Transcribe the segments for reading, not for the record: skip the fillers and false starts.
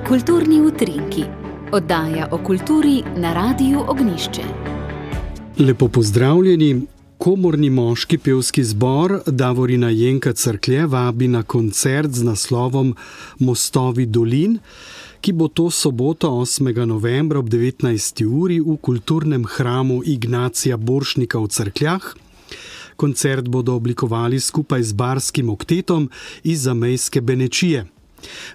Kulturni utrinki. Oddaja o kulturi na Radiu Ognjišče. Lepo pozdravljeni. Komorni moški pevski zbor Davorina Jenka Cerklje vabi na koncert z naslovom Mostovi dolin, ki bo to soboto 8. novembra ob 19. uri v kulturnem hramu Ignacija Borštnika v Cerkljah. Koncert bodo oblikovali skupaj z barskim oktetom iz zamejske Benečije.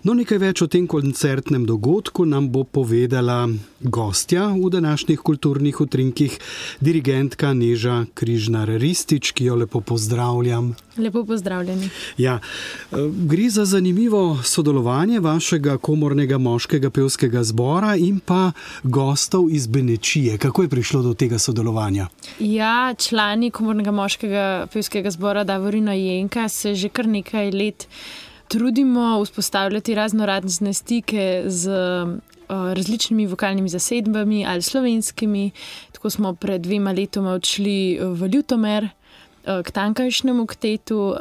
No, nekaj več o tem koncertnem dogodku nam bo povedala gostja v današnjih kulturnih utrinkih, dirigentka Neža Križnar-Ristić, ki jo lepo pozdravljam. Lepo pozdravljeni. Ja, gre za zanimivo sodelovanje vašega komornega moškega pevskega zbora in pa gostov iz Benečije. Kako je prišlo do tega sodelovanja? Ja, člani komornega moškega pevskega zbora Davorina Jenka se že kar nekaj let trudimo vzpostavljati raznorazne stike z različnimi vokalnimi zasedbami ali slovenskimi. Tako smo pred 2 letoma odšli v Ljutomer k tamkajšnjemu oktetu,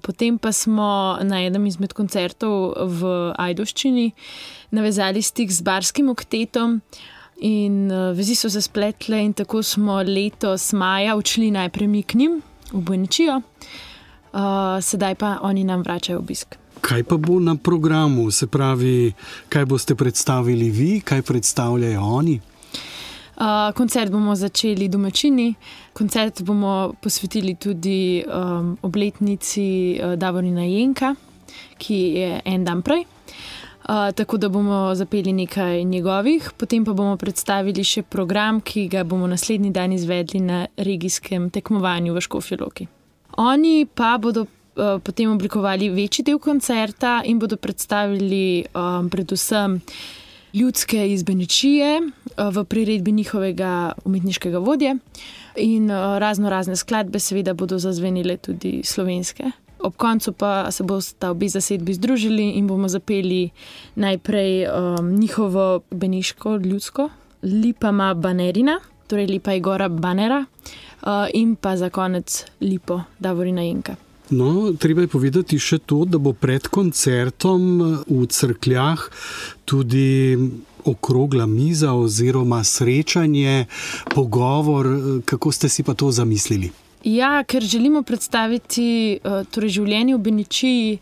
potem pa smo na enem izmed koncertov v Ajdovščini navezali stik z barskim oktetom in vezi so se spletle in tako smo letos maja odšli najprej mi k njim v Benečijo, sedaj pa oni nam vračajo obisk. Kaj pa bo na programu? Se pravi, kaj boste predstavili vi, kaj predstavljajo oni? Koncert bomo začeli domačini. Koncert bomo posvetili tudi obletnici Davorina Jenka, ki je en dan prej. Tako da bomo zapeli nekaj njegovih, potem pa bomo predstavili še program, ki ga bomo naslednji dan izvedli na regijskem tekmovanju v Škofji Loki. Oni pa bodo potem oblikovali večji del koncerta in bodo predstavili predvsem ljudske iz Benečije v priredbi njihovega umetniškega vodje in razne skladbe seveda bodo zazvenile tudi slovenske. Ob koncu pa se bosta obe zasedbi združili in bomo zapeli najprej njihovo beneško ljudsko Lipa ma banerina, torej Lipa je gora banera, in pa za konec Lipo Davorina Jenka. No, treba je povedati še to, da bo pred koncertom v Cerkljah tudi okrogla miza oziroma srečanje, pogovor. Kako ste si pa to zamislili? Ja, ker želimo predstaviti življenje v Benečiji,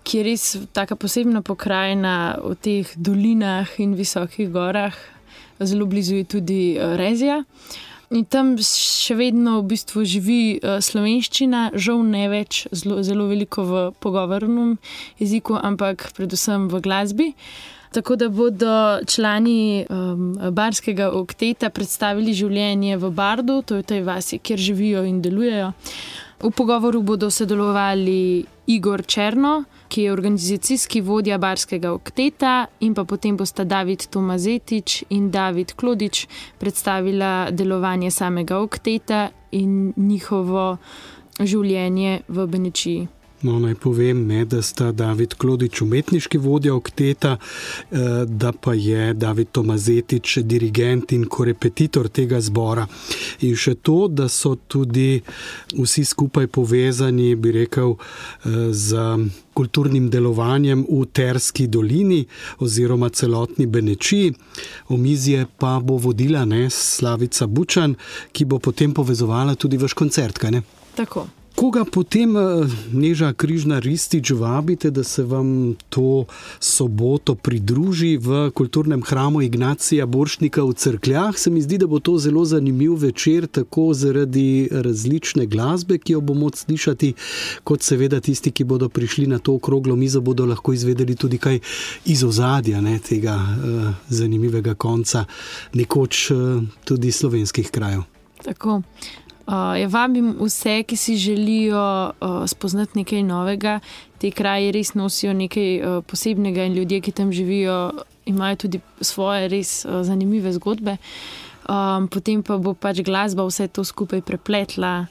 ki je res taka posebna pokrajina v teh dolinah in visokih gorah. Zelo blizu je tudi Rezija. In tam še vedno v bistvu živi slovenščina, žal ne več zelo veliko v pogovornem jeziku, ampak predvsem v glasbi. Tako da bodo člani barskega okteta predstavili življenje v Bardu, to je v tej vasi, kjer živijo in delujejo. V pogovoru bodo sodelovali Igor Černo, ki je organizacijski vodja barskega okteta, in pa potem bosta David Tomazetič in David Klodič predstavila delovanje samega okteta in njihovo življenje v Benečiji. No, naj povem, da sta David Klodič umetniški vodja okteta, da pa je David Tomazetič dirigent in korepetitor tega zbora. In še to, da so tudi vsi skupaj povezani, bi rekel, z kulturnim delovanjem v Terski dolini oziroma celotni Benečiji. Omizje pa bo vodila Slavica Bučan, ki bo potem povezovala tudi vaš koncert, kaj ne? Tako. Koga potem, Neža Križnar-Ristić, vabite, da se vam to soboto pridruži v kulturnem hramu Ignacija Borštnika v Cerkljah? Se mi zdi, da bo to zelo zanimiv večer, tako zaradi različne glasbe, ki jo bomo slišati, kot seveda tisti, ki bodo prišli na to okroglo mizo, bodo lahko izvedeli tudi kaj iz ozadja tega zanimivega konca, nekoč tudi slovenskih krajev. Tako. Vabim vse, ki si želijo spoznati nekaj novega. Te kraji res nosijo nekaj posebnega in ljudje, ki tam živijo, imajo tudi svoje res zanimive zgodbe. Potem pa bo glasba vse to skupaj prepletla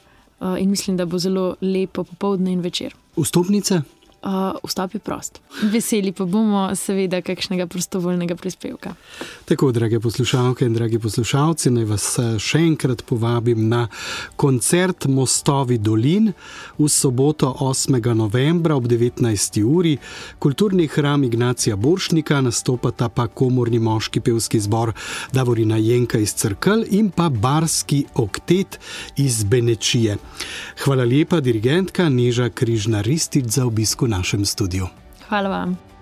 in mislim, da bo zelo lepo popoldne in večer. Vstopnice? vstop je prost. Veseli pa bomo seveda kakšnega prostovoljnega prispevka. Tako, drage poslušalke in dragi poslušalci, naj vas še enkrat povabim na koncert Mostovi dolin v soboto 8. novembra ob 19. uri. Kulturni hram Ignacija Borštnika, nastopata pa komorni moški pevski zbor Davorina Jenka iz Cerkelj in pa barski oktet iz Benečije. Hvala lepa, dirigentka Neža Križnar-Ristić, za obisk v našem studiu. Hvala vam.